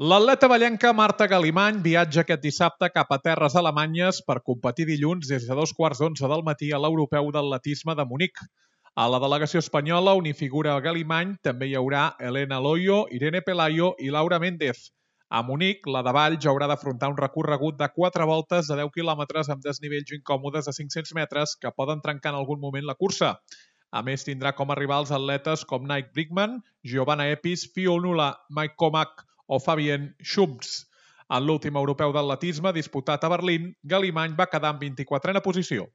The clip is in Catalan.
L'atleta ballenca Marta Galimany viatja aquest dissabte cap a terres alemanyes per competir dilluns des de 2:15 del matí a l'Europeu d'Atletisme de Munic. A la delegació espanyola, on hi figura Galimany, també hi haurà Elena Loyo, Irene Pelayo i Laura Méndez. A Munic, la de Valls haurà d'afrontar un recorregut de 4 voltes de 10 quilòmetres amb desnivells incòmodes de 500 metres que poden trencar en algun moment la cursa. A més, tindrà com a rivals atletes com Nike Brickman, Giovanna Epis, Fionnuala Maikomak o Fabien Schumps. En l'últim europeu d'atletisme disputat a Berlín, Galimany va quedar en 24a posició.